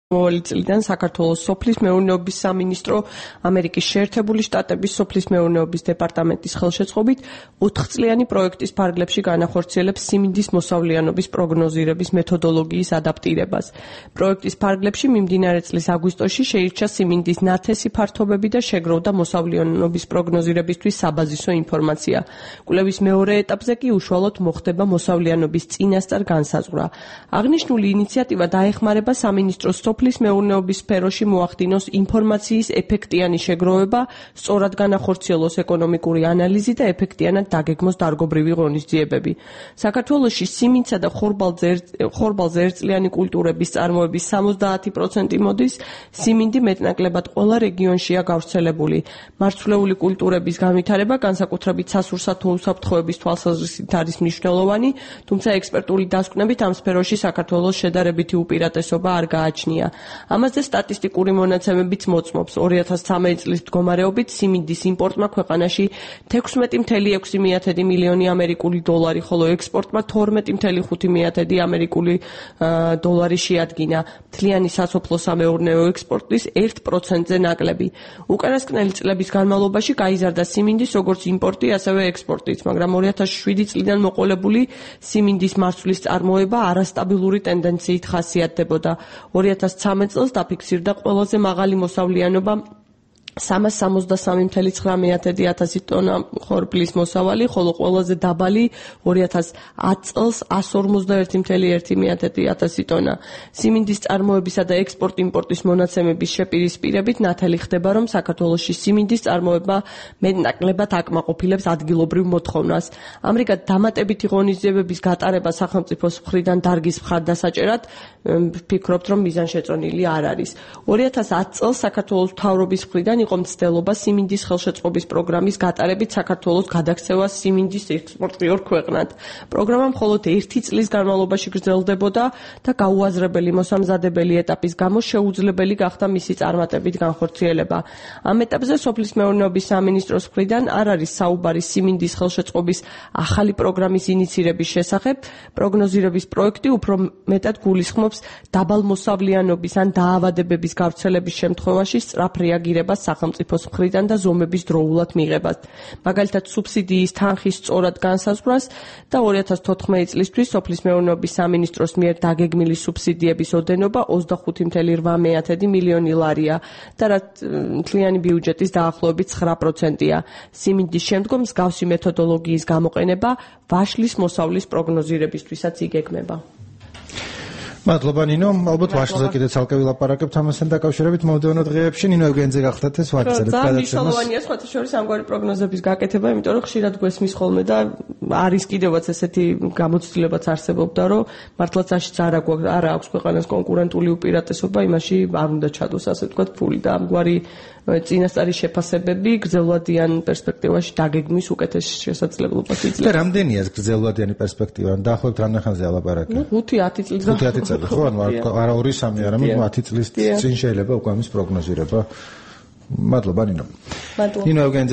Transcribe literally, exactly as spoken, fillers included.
მოვალი წლიდან საქართველოს სოფლის მეურნეობის სამინისტრო ამერიკის შეერთებული შტატების სოფლის მეურნეობის დეპარტამენტის ხელშეწყობით ოთხწლიანი პროექტის ფარგლებში განახორციელებს სიმინდის მოსავლიანობის პროგნოზირების მეთოდოლოგიის ადაპტირებას. პროექტის ფარგლებში მიმდინარე წლის აგვისტოში შეირჩა სიმინდის ნათესი ფართობები და შეგროვდა მოსავლიანობის პროგნოზირებისთვის საბაზისო ინფორმაცია. კვლევის მეორე ეტაპზე კი უშუალოდ მოხდება მოსავლიანობის წინასწარ განსაზღვრა. აღნიშნული ინიციატივა დაეხმარება სამინისტროს სოფლის მეურნეობის სფეროში მოახდინოს ინფორმაციის ეფექტიანი შეგროვება, სწორად განახორციელოს ეკონომიკური ანალიზი და ეფექტიანად დაგეგმოს დარგობრივი ღონისძიებები. საქართველოში სიმინდსა და ხორბალზე ერთწლიანი კულტურების წარმოების სამოცდაათი პროცენტი მოდის, სიმინდი მეტნაკლებად ყველა რეგიონშია გავრცელებული. მარცვლეული კულტურების განვითარება განსაკუთრებით სასურსათო უსაფრთხოების თვალსაზრისით არის მნიშვნელოვანი, თუმცა ექსპერტული დასკვნებით ამ სფეროში საქართველოს შედარებითი უპირატესობა არ გააჩნია. ამაზე სტატისტიკური მონაცემებიც მოწმობს. ორი ათას ცხრამეტი წლის მდგომარეობით სიმინდის იმპორტმა ქვეყანაში თექვსმეტი წუთი ექვსი მილიონი ამერიკული დოლარი, ხოლო ექსპორტმა თორმეტი წუთი ხუთი ამერიკული დოლარი შეადგინა. მთლიანი სასოფლო-სამეურნეო ექსპორტის ერთ პროცენტზე ნაკლები. უკანასკნელი წლების განმავლობაში გაიზარდა სიმინდის როგორც იმპორტი, ასევე ექსპორტიც, მაგრამ ორი ათას შვიდი წლიდან მოყოლებული სიმინდის მარცვლის წარმოება არასტაბილური ტენდენციით ხასიათდებოდა. ორი ათას ცხრამეტ წელს დაფიქსირდა ყველაზე მაღალი მოსავლიანობა სამას სამოცდასამი წუთი ცხრა ათასი ტონა ხორბლის მოსავალი, ხოლო ყველაზე დაბალი ორი ათას ათ წელს εκατს ორმოცდაერთი წუთი ერთი ათასი ტონა. სიმინდის წარმოებისა და ექსპორტ-იმპორტის მონაცემების შეპირისპირებით ნათელი ხდება, რომ საქართველოში სიმინდის წარმოება მეტნაკლებად აკმაყოფილებს ადგილობრივ მოთხოვნას. ამრიგად, დამატებითი ღონისძიებების გატარება სახელმწიფოს მხრიდან დარგის მხარდასაჭერად ვფიქრობთ, რომ მიზანშეწონილი არ არის. ორი ათას ათ წელს საქართველოს მთავრობის მხრიდან იყო მცდელობა სიმინდის ხელშეწყობის პროგრამის გატარებით საქართველოს გადაქცევას სიმინდის ექსპორტი ორ ქვეყნად. პროგრამა მხოლოდ ერთი წლის განმავლობაში გრძელდებოდა და გაუაზრებელი მოსამზადებელი ეტაპის გამო შეუძლებელი გახდა მისი წარმატებით განხორციელება. ამ ეტაპზე სოფლის მეურნეობის სამინისტროს მხრიდან არ არის საუბარი სიმინდის ხელშეწყობის ახალი პროგრამის ინიცირების შესახებ. პროგნოზირების პროექტი უფრო მეტად გულისხმობს დაბალმოსავლიანობის ან დაავადებების გავრცელების შემთხვევაში სწრაფ რეაგირებას სახელმწიფოს მხრიდან და ზომების დროულად მიღებას. მაგალითად, სუბსიდიის თანხის სწორად განსაზღვრას და ორი ათას თოთხმეტი წლისთვის სოფლის მეურნეობის სამინისტროს მიერ დაგეგმილი სუბსიდიების ოდენობა ოცდახუთი წუთი რვა მილიონი ლარია და რაც მთლიანი ბიუჯეტის დაახლოებით ცხრა პროცენტია. სიმინდის შემდგომ მსგავსი მეთოდოლოგიის გამოყენება ვაშლის მოსავლის პროგნოზირებისთვისაც იგეგმება. მადლობა ნინო, ალბათ ვაშლზე კიდე ცალკე ვილაპარაკებთ ამასთან დაკავშირებით მომდევნო დღეებში. ნინო ეგენზე გახდათ ეს ვაგრძელებთ გადაცემას. ძალიან მნიშვნელოვანია სხვათა შორის ამგვარი პროგნოზების გაკეთება, იმიტომ რომ ხშირად გვესმის ხოლმე და არის კიდევაც ესეთი გამოცდილებაც არსებობდა, რომ მართლაც არ აქვს ქვეყანას კონკურენტული უპირატესობა, იმაში არ უნდა ჩადოს, ასე ვთქვათ, ფული და ამგვარი წინასწარი შეფასებები გრძელვადიან პერსპექტივაში დაგეგმვის უკეთეს შესაძლებლობას იძლევა. და რამდენია ეს გრძელვადიანი პერსპექტივა? დაახლოებით რამდენხანზე ალაპარაკი? ნუ ხუთი ათი წლის ხუთი ათი წელი, ხო? ანუ არა ორი სამი, არამედ ათი წლის წინ შეიძლება უკვე ამის პროგნოზირება. მადლობა ნინო. მადლობა. ნინო ეგენზე